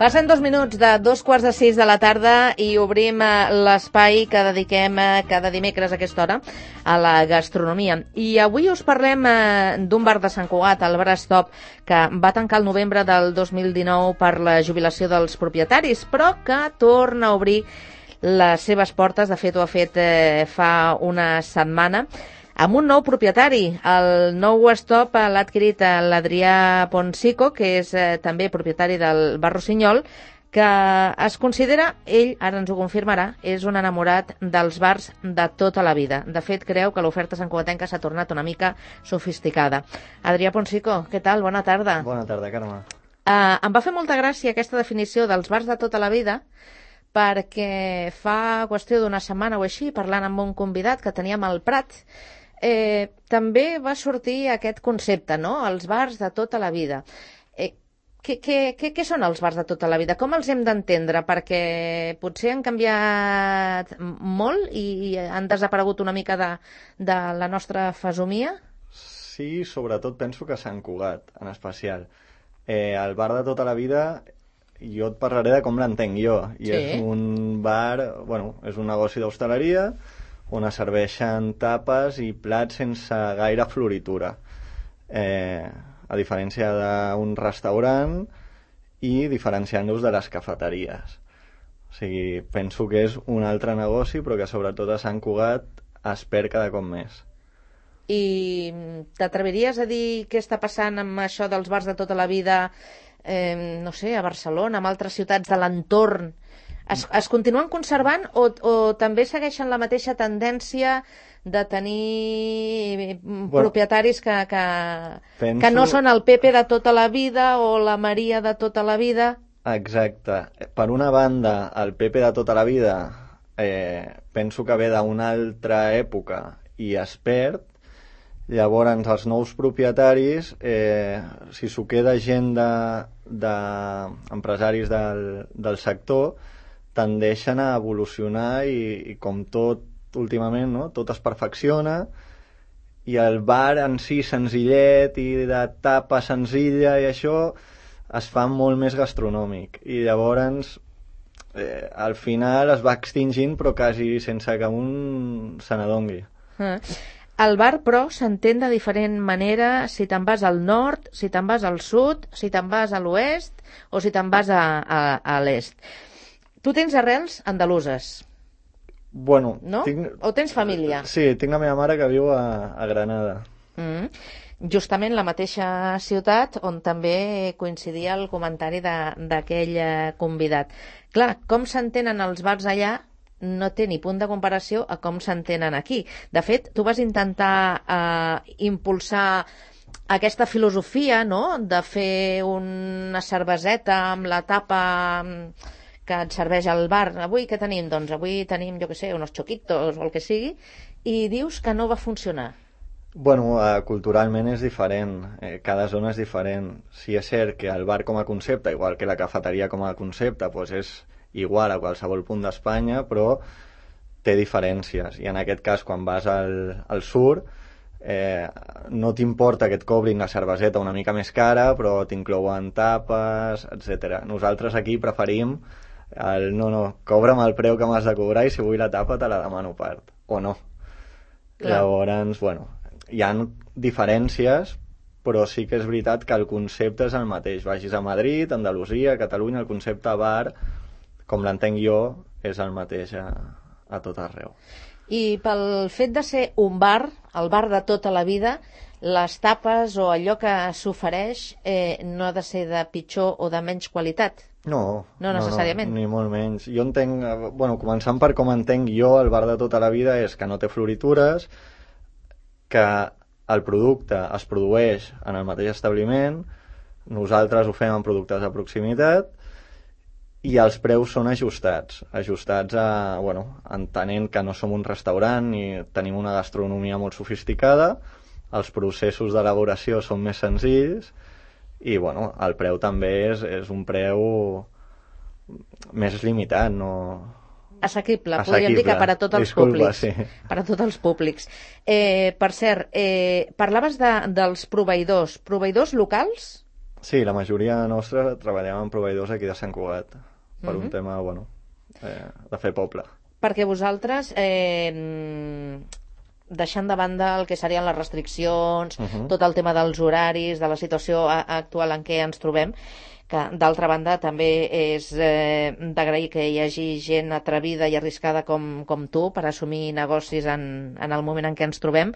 Passen 2 minuts de 2:45 de la tarda i obrim l'espai que dediquem cada dimecres a aquesta hora a la gastronomia. I avui us parlem d'un bar de Sant Cugat, el Bar Stop, que va tancar el novembre del 2019 per la jubilació dels propietaris, però que torna a obrir les seves portes. De fet, ho ha fet fa una setmana, amb un nou propietari. El nou Stop l'ha adquirit l'Adrià Ponsico, que és també propietari del Bar Rossinyol, que es considera, ell ara ens ho confirmarà, és un enamorat dels bars de tota la vida. De fet, creu que l'oferta santcugatenca s'ha tornat una mica sofisticada. Adrià Ponsico, què tal? Bona tarda. Bona tarda, Carme. Em va fer molta gràcia aquesta definició dels bars de tota la vida, perquè fa qüestió d'una setmana o així, parlant amb un convidat que teníem al Prat, també va sortir aquest concepte, no? Els bars de tota la vida. Què són els bars de tota la vida? Com els hem d'entendre? Perquè potser han canviat molt i han desaparegut una mica de la nostra fesomia? Sí, sobretot penso que Sant Cugat, en especial. El bar de tota la vida, jo et parlaré de com l'entenc jo. I Sí. És un bar, bueno, és un negoci d'hostaleria on es serveixen tapes i plats sense gaire floritura. A diferència d'un restaurant i diferenciant-los de les cafeteries. O sigui, penso que és un altre negoci, però que sobretot a Sant Cugat es perd cada cop més. I t'atreviries a dir què està passant amb això dels bars de tota la vida, no sé, a Barcelona, amb altres ciutats de l'entorn? Es continuen conservant o també segueixen la mateixa tendència de tenir propietaris que no són el Pepe de tota la vida o la Maria de tota la vida? Exacte. Per una banda, el Pepe de tota la vida penso que ve d'una altra època i es perd. Llavors, els nous propietaris, si s'ho queda gent d'empresaris del sector, tendeixen a evolucionar i com tot últimament, no? Tot es perfecciona i el bar en si senzillet i de tapa senzilla i això es fa molt més gastronòmic i llavors al final es va extingint però quasi sense que un se n'adongui. El bar, però, s'entén de diferent manera si te'n vas al nord, si te'n vas al sud, si te'n vas a l'oest o si te'n vas a l'est. Tu tens arrels andaluses, Bueno, no? O tens família? Sí, tinc la meva mare que viu a Granada. Justament la mateixa ciutat on també coincidia el comentari d'aquell convidat. Clar, com s'entenen els bars allà no té ni punt de comparació a com s'entenen aquí. De fet, tu vas intentar impulsar aquesta filosofia, no?, de fer una cerveseta amb la tapa que et serveix al bar. Avui què tenim? Doncs avui tenim, jo què sé, unos choquitos o el que sigui, i dius que no va funcionar. Bueno, culturalment és diferent, cada zona és diferent. Sí és cert que el bar com a concepte, igual que la cafeteria com a concepte, doncs és igual a qualsevol punt d'Espanya, però té diferències. I en aquest cas, quan vas al sur, no t'importa que et cobrin la cerveseta una mica més cara, però t'inclouen tapes, etc. Nosaltres aquí preferim no, cobra'm el preu que m'has de cobrar i si vull la tapa te la demano a part, o no. Clar. Llavors, bueno, hi ha diferències, però sí que és veritat que el concepte és el mateix. Vagis a Madrid, Andalusia, Catalunya, el concepte bar, com l'entenc jo, és el mateix a tot arreu. I pel fet de ser un bar, el bar de tota la vida, les tapes o allò que s'ofereix no ha de ser de pitjor o de menys qualitat? No necessàriament. No, ni molt menys. Jo entenc, bueno, començant per com entenc jo el bar de tota la vida, és que no té floritures, que el producte es produeix en el mateix establiment, nosaltres ho fem amb productes de proximitat i els preus són ajustats a, bueno, entenent que no som un restaurant i tenim una gastronomia molt sofisticada, els processos d'elaboració són més senzills i, bueno, el preu també és un preu més limitat, no... Assequible, podríem dir que per a tots els públics. Sí. Per a tots els públics. Per cert, parlaves dels proveïdors. Proveïdors locals? Sí, la majoria nostra treballem amb proveïdors aquí de Sant Cugat, per un tema, bueno, de fer poble. Perquè vosaltres, deixant de banda el que serien les restriccions, tot el tema dels horaris, de la situació actual en què ens trobem, que d'altra banda també és d'agrair que hi hagi gent atrevida i arriscada com tu per assumir negocis en el moment en què ens trobem.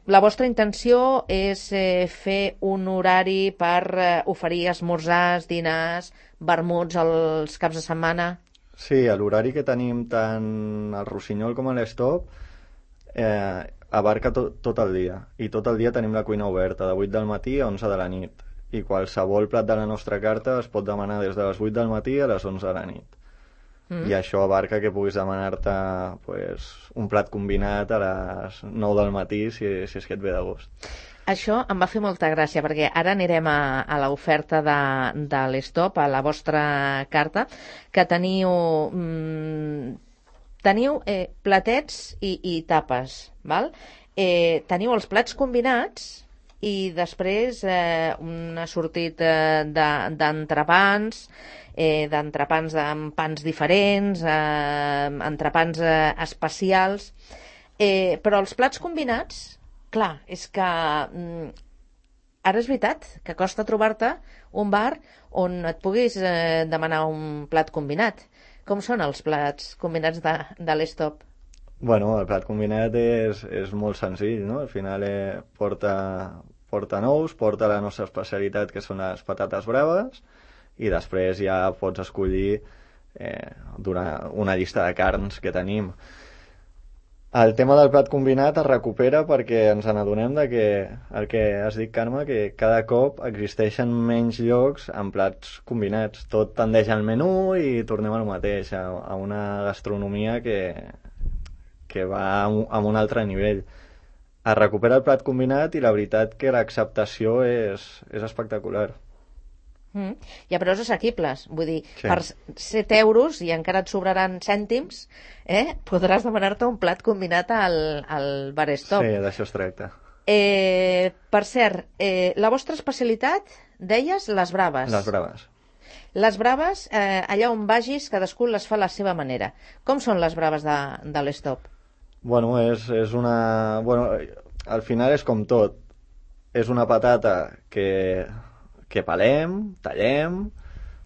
La vostra intenció és fer un horari per oferir esmorzars, dinars, vermuts els caps de setmana? Sí, l'horari que tenim tant al Rossinyol com a l'Estop abarca tot el dia, i tot el dia tenim la cuina oberta de 8 del matí a 11 de la nit, i qualsevol plat de la nostra carta es pot demanar des de les 8 del matí a les 11 de la nit. I això abarca que puguis demanar-te un plat combinat a les 9 del matí si és que et ve de gust. Això em va fer molta gràcia, perquè ara anirem a l'oferta de l'Estop, a la vostra carta, que teniu platets i tapes, val? Teniu els plats combinats i després un assortit d'entrepans, amb pans diferents, entrepans especials, però els plats combinats, clar, és que ara és veritat que costa trobar-te un bar on et puguis demanar un plat combinat. Com són els plats combinats de l'Estop? Bueno, el plat combinat és molt senzill, no? Al final porta nous, porta la nostra especialitat, que són les patates braves, i després ja pots escollir una llista de carns que tenim. El tema del plat combinat es recupera perquè ens n'adonem que el que has dit, Carme, que cada cop existeixen menys llocs amb plats combinats. Tot tendeix al menú i tornem al mateix, a una gastronomia que va a un altre nivell. Es recupera el plat combinat i la veritat que l'acceptació és espectacular. Hi ha preus assequibles, vull dir, sí. Per 7 euros, i encara et sobraran cèntims, podràs demanar-te un plat combinat al bar Estop. Sí, d'això es tracta. Per cert, la vostra especialitat, deies, les braves. Les braves. Les braves, allà on vagis, cadascú les fa a la seva manera. Com són les braves de l'Estop? Bueno, és una... Bueno, al final és com tot. És una patata que pelem, tallem,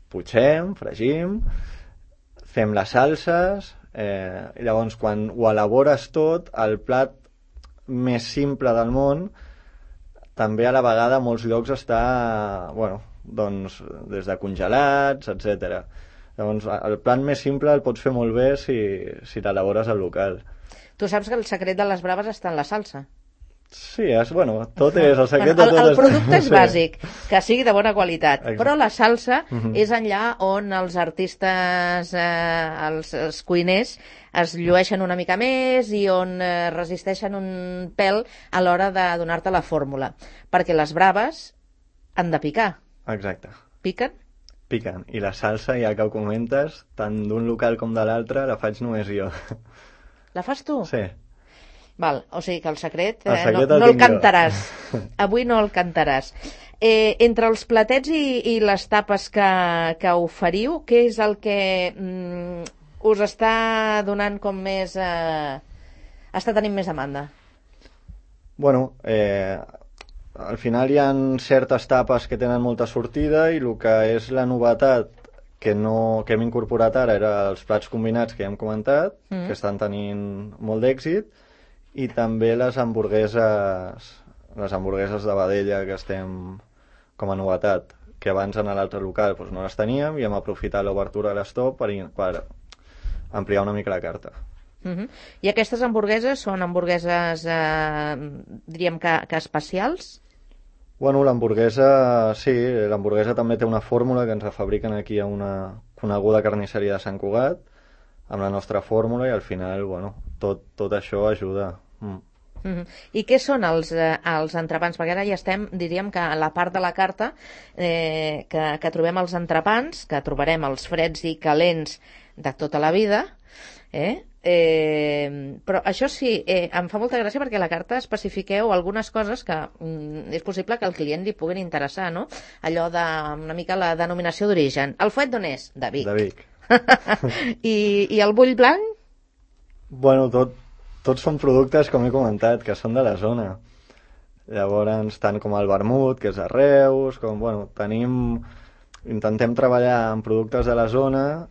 putxem, fregim, fem les salses, i llavors quan ho elabores tot, el plat més simple del món, també a la vegada a molts llocs està, bueno, doncs des de congelats, etc. Llavors el plat més simple el pots fer molt bé si l'elabores al local. Tu saps que el secret de les braves està en la salsa. Sí, bueno, tot és, el secret de tot el producte és bàsic, que sigui de bona qualitat. Exacte. Però la salsa és allà on els artistes, els cuiners, es llueixen una mica més i on resisteixen un pèl a l'hora de donar-te la fórmula. Perquè les braves han de picar. Exacte. Piquen? Piquen. I la salsa, ja que ho comentes, tant d'un local com de l'altre, la faig només jo. La fas tu? Sí. Val, o sigui que el secret no el cantaràs. Avui no el cantaràs. Entre els platets i les tapes que oferiu, què és el que us està donant com més... està tenint més demanda? Bueno, al final hi ha certes tapes que tenen molta sortida i el que és la novetat que hem incorporat ara era els plats combinats que ja hem comentat, que estan tenint molt d'èxit, i també les hamburgueses de vedella que estem com a novetat, que abans en l'altre local doncs no les teníem i hem aprofitat l'obertura de l'Estop per ampliar una mica la carta. I aquestes hamburgueses són hamburgueses, diríem que especials? Bueno, l'hamburguesa, sí, l'hamburguesa també té una fórmula que ens la fabriquen aquí a una coneguda carnisseria de Sant Cugat, amb la nostra fórmula, i al final, bueno, tot això ajuda. I què són els entrepans? Perquè ara ja estem, diríem que a la part de la carta que trobem els entrepans, que trobarem els freds i calents de tota la vida, Però això sí, em fa molta gràcia perquè a la carta especifiqueu algunes coses que és possible que al client li puguin interessar, no? Allò de una mica la denominació d'origen. El fuet d'on és? De Vic. De Vic. I el bull blanc? Bueno, tots són productes, com he comentat, que són de la zona. Llavors, tant com el vermut, que és de Reus, com, bueno, intentem treballar amb productes de la zona,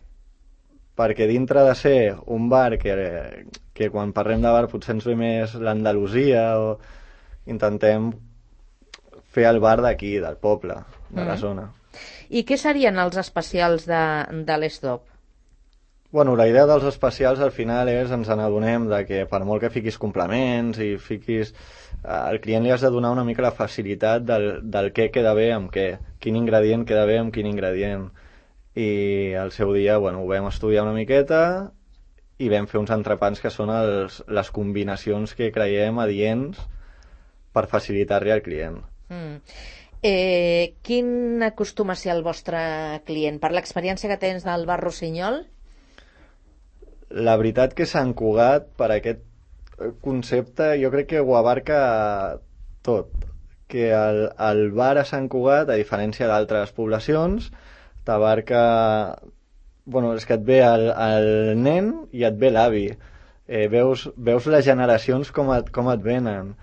perquè dintre de ser un bar que quan parlem de bar potser ens ve més l'Andalusia, o intentem fer el bar d'aquí, del poble, de la zona. I què serien els especials de l'Stop? Bueno, la idea dels especials al final és, ens n'adonem de que per molt que fiquis complements i fiquis... al client li has de donar una mica la facilitat del què queda bé amb què, quin ingredient queda bé amb quin ingredient. I al seu dia, bueno, ho vam estudiar una miqueta i vam fer uns entrepans que són les combinacions que creiem adients per facilitar-li al client. Quin acostuma a ser el vostre client? Per l'experiència que tens del bar Rossinyol? La veritat que Sant Cugat, per aquest concepte, jo crec que ho abarca tot. Que el bar a Sant Cugat, a diferència d'altres poblacions, t'abarca... Bueno, és que et ve el nen i et ve l'avi. Veus les generacions com et venen.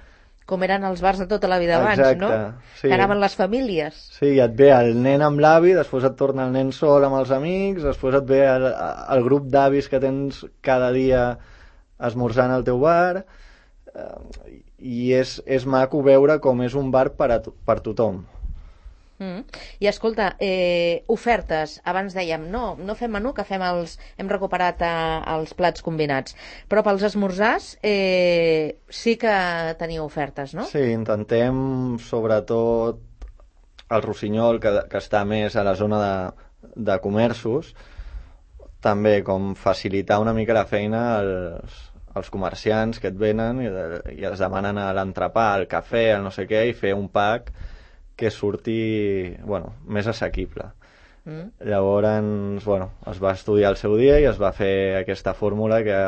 Com eren els bars de tota la vida abans, exacte, no? Sí. Que anaven les famílies. Sí, et ve el nen amb l'avi, després et torna el nen sol amb els amics, després et ve el grup d'avis que tens cada dia esmorzant al teu bar, i és maco veure com és un bar per tothom. I escolta, ofertes, abans dèiem no fem menú, que hem recuperat els plats combinats, però pels esmorzars sí que teniu ofertes, no? Sí, intentem sobretot el Rossinyol, que està més a la zona de comerços, també com facilitar una mica la feina als comerciants que et venen i es demanen a l'entrepà, al cafè, al no sé què, i fer un pack que surti, bueno, més assequible. Llavors, bueno, es va estudiar el seu dia i es va fer aquesta fórmula que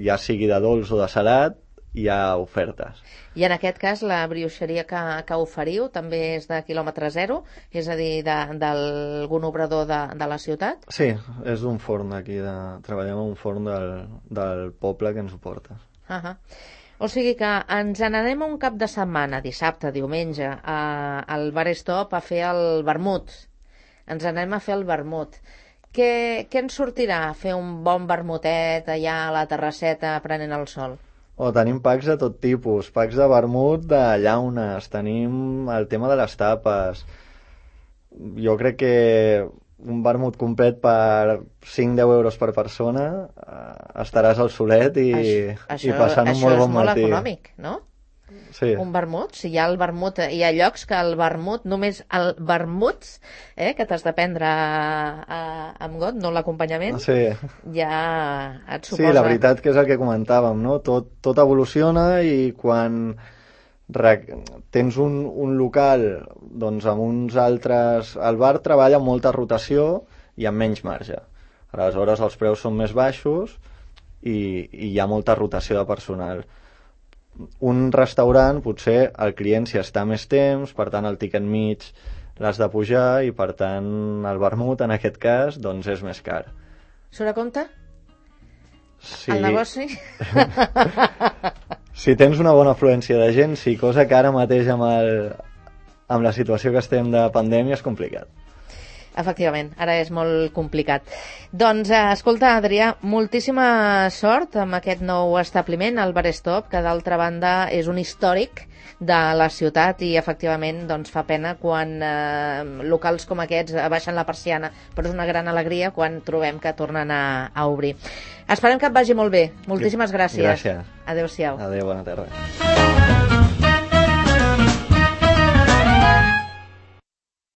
ja sigui de dolç o de salat, hi ha ofertes. I en aquest cas la brioixeria que oferiu també és de quilòmetre zero, és a dir, d'algun obrador de la ciutat? Sí, és d'un forn d'aquí, treballem en un forn del poble que ens ho porta. O sigui que ens n'anem un cap de setmana, dissabte, diumenge, al Bar Stop a fer el vermut. Ens anem a fer el vermut. Què ens sortirà? Fer un bon vermutet allà a la terrasseta prenent el sol? Tenim packs de tot tipus, packs de vermut, de llaunes, tenim el tema de les tapes. Jo crec que un vermut complet per 5-10 euros per persona, estaràs al solet i passant un molt bon matí. Això és molt econòmic, no? Sí. Un vermut, si hi ha el vermut, hi ha llocs que el vermut, només el vermut, que t'has de prendre amb got, no l'acompanyament, sí. Ja et suposa... Sí, la veritat que és el que comentàvem, no? Tot evoluciona i quan tens un local doncs amb uns altres... El bar treballa amb molta rotació i amb menys marge. Aleshores els preus són més baixos i hi ha molta rotació de personal. Un restaurant, potser el client s'hi està més temps, per tant el tiquet mig l'has de pujar i per tant el vermut en aquest cas doncs és més car. Surt a compte? Sí. El negoci? Si tens una bona afluència de gent, sí, cosa que ara mateix amb la situació que estem de pandèmia és complicat. Efectivament, ara és molt complicat. Doncs, escolta, Adrià, moltíssima sort amb aquest nou establiment, el Bar Stop, que d'altra banda és un històric de la ciutat i efectivament doncs, fa pena quan locals com aquests baixen la persiana, però és una gran alegria quan trobem que tornen a obrir. Esperem que et vagi molt bé. Moltíssimes gràcies. Gràcies. Adéu-siau. Adéu, bona tarda.